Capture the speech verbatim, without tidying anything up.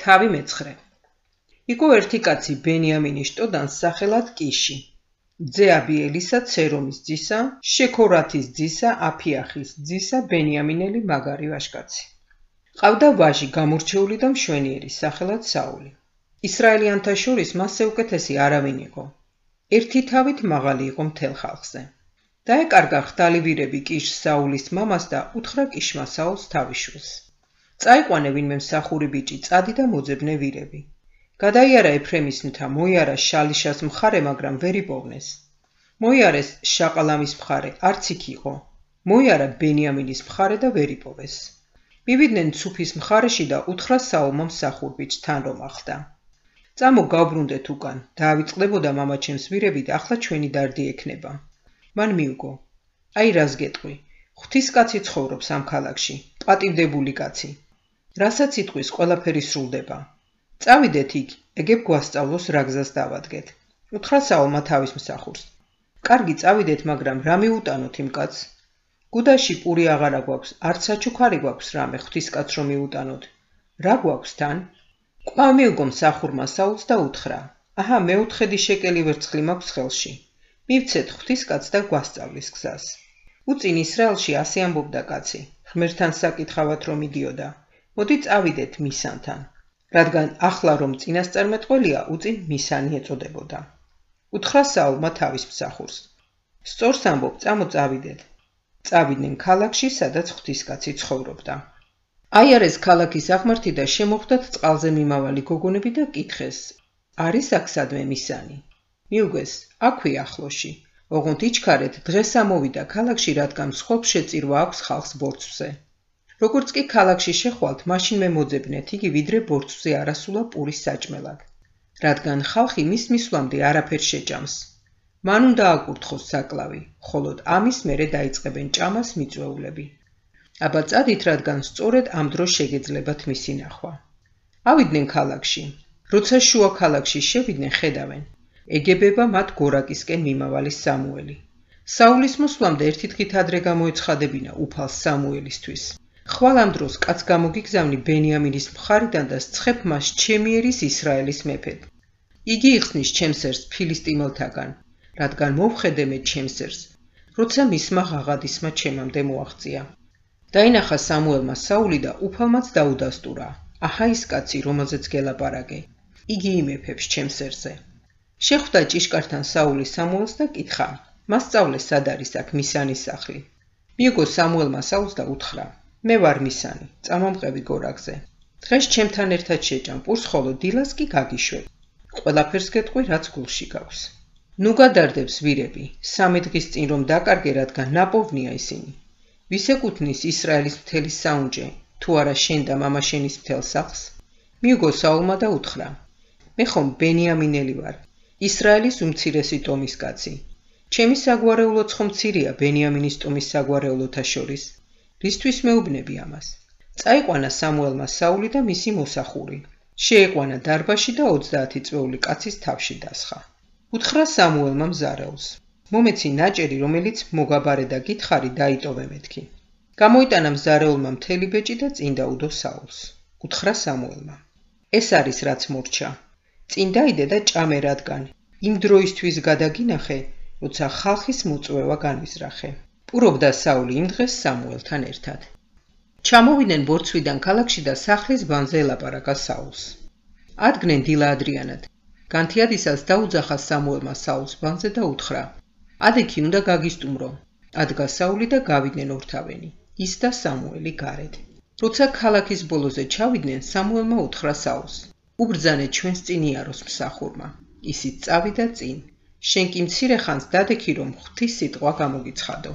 თავი მეცხრე. იყო ერთი კაცი ბენიამინის შტოდან სახელად კიში. ძე აბიელისა ცერომის ძისა, შექორათის ძისა, აფიახის ძისა ბენიამინელი მაგარი ვაჟკაცი. ყავდა ვაჟი გამორჩეული და მშვენიერი სახელად საული. ისრაელიანთა შორის მასზე უკეთესი არავინ იყო. ერთი თავით მაღალი იყო მთელ ხალხზე. დაეკარგა ხვდალი ვირები კიშს საულის მამას და უთხრა კიშმა საულს თავიშვილს. წაიყვანე ვინმე მსახური ბიჭი წადი და მოძებნე ვირები. გადაიარა ეფრემის მთა, მოიარა შალიშას მხარე, მაგრამ ვერ იპოვნეს. მოიარეს შაყალამის მხარე, არც იქ იყო. მოიარა ბენიამინის მხარე და ვერ იპოვეს. მივიდნენ ცუფის მხარეში და უთხრა საულმა მსახურ ბიჭს თან რომ ახდა. წამო გავბრუნდეთ უკან, დაავიწყდებოდა მამაჩემს ვირები და ახლა ჩვენი დარდი ექნება. მან მიუგო. აი რას გეტყვი, ღვთისკაცი ცხოვრობს ამ ქალაქში, პატივდებული კაცი. რასაც იტყვის ყველაფერი სრულდება. წავიდეთ იქ, ეგებ გვასწავლოს რა გზას დავადგეთ. უთხრა საულმა თავის მსახურს. კარგი წავიდეთ, მაგრამ რა მიუტანოთ იმ კაცს? გუდაში პური აღარა გვაქვს, არც საჩუქარი გვაქვს რამე ღვთისკაც რომ მიუტანოთ. რა გვაქვს თან? კვლავ მიუგო მსახურმა საულს და უთხრა. აჰა, მეოთხედი შეკელი ვერცხლი მაქვს ხელში. მივცეთ ღვთისკაც და გვასწავლის გზას. უწინ ისრაელში ასე ამბობდა კაცი, ღმერთთან საკითხავად რომ იდიოდა. მოდი წავიდეთ მისანთან. რადგან ახლა რომ წინასწარმეტყველია, უწინ მისანი ეწოდებოდა. უთხრა საულმა თავის მსახურს. სწორს ამბობ, წამო წავიდეთ. წავიდნენ ქალაქში, სადაც ღვთისკაცი ცხოვრობდა. აიარეს ქალაქის აღმართი და შემოხვდათ წყალზე მიმავალი გოგონები და კითხეს, არის აქ სადმე მისანი? მიუგეს, აქვე ახლოში. ოღონდ იჩქარეთ, დღეს ამოვიდა ქალაქში, რადგან მსხვერპლ შეწირვა აქვს ხალხს ბორცვზე. როგორც კი ქალაქში შეხვალთ, მაშინ მე მოძებნეთ იგი, ვიდრე ბორცვზე არასულა პურის საჭმელად. რადგან ხალხი მის მისვლამდე არაფერს შეჭამს. მან უნდა აკურთხოს საკლავი, ხოლოდ ამის მერე დაიწყებენ ჭამას მიწვეულები. აბა წადით, რადგან სწორედ ამ დროს შეგეძლებათ მისი ნახვა. ავიდნენ ქალაქში. როცა შუა ქალაქში შევიდნენ, ხედავენ. ეგებება მათ გორაკისკენ მიმავალი სამუელი. საულის მოსვლამდე ერთი დღით ადრე გამოეცხადებინა უფალს სამუელისთვის. ხვალ ამ დროს კაც გამოგიგზავნი ბენიამინის მხარიდან და სცხებ მას ჩემი ერის ისრაელის მეფედ. იგი იხსნის ჩემს ერს ფილისტიმელთაგან, რადგან მოვხედე მე ჩემს ერს, როცა მისმა ღაღადისმა ჩემამდე მოაღწია. დაინახა სამუელმა საული და უფალმაც დაუდასტურა. აჰა ის კაცი, რომელზეც გელაპარაკე. იგი იმეფებს ჩემს ერზე. შეხვდა ჭიშკართან საული სამუელს და კითხა, მას სწავლე სად არის აქ მისანის სახლი. მიუგო სამუელმა საულს და უთხრა, მე ვარ მისანი, წამომყევი გორაკზე. დღეს ჩემთან ერთად შეჭამ პურს, ხოლო დილას კი გაგიშვებ. ყველაფერს გეტყვი, რაც გულში გაქვს. ნუ გადარდებს ვირები, სამი დღის წინ რომ დაკარგე, რადგან ნაპოვნია ისინი. ვის ეკუთვნის ისრაელის მთელი საუნჯე, თუ არა შენ და მამა შენის მთელ სახლს? მიუგო საულმა და უთხრა, მე ხომ ბენიამინელი ვარ, ისრაელის უმცირესი ტომის კაცი. ჩემი საგვარეულოც ხომ მცირეა ბენიამინის ტომის საგვარეულოთა შორის. რისთვის მეუბნები ამას? წაიყვანა სამუელმა საული და მისი მოსახური. შეეყვანა დარბაში და ოცდაათი წვეული კაცის თავში დასხა. უთხრა სამუელმა მზარეულს, მომეცი ნაჭერი, რომელიც მოგაბარე და გითხარი, დაიტოვე მეთქი. გამოიტანა მზარეულმა მთელი ბეჭი და წინ დაუდო საულს. უთხრა სამუელმა, ეს არის რაც მორჩა. წინ დაიდე და ჭამე, რადგან იმ დროისთვის გადაგინახე, როცა ხალხის მოწვევა განვიზრახე. პურობდა საული იმ დღეს სამუელთან ერთად. ჩამოვიდნენ ბორცვიდან ქალაქში და სახლის ბანზე ელაპარაკა საულს. ადგნენ დილა ადრიანად. განთიადისას დაუძახა სამუელმა საულს ბანზე და უთხრა, ადექი უნდა გაგისტუმრო. ადგა საული და გავიდნენ ორთავენი, ის და სამუელი გარეთ. როცა ქალაქის ბოლოზე ჩავიდნენ, სამუელმა უთხრა საულს, უბრძანე ჩვენს წინ იაროს მსახურმა. ისიც წავიდა წინ. შენ კი მცირე ხანს დადექი, რომ ღვთის სიტყვა გამოგიცხადო.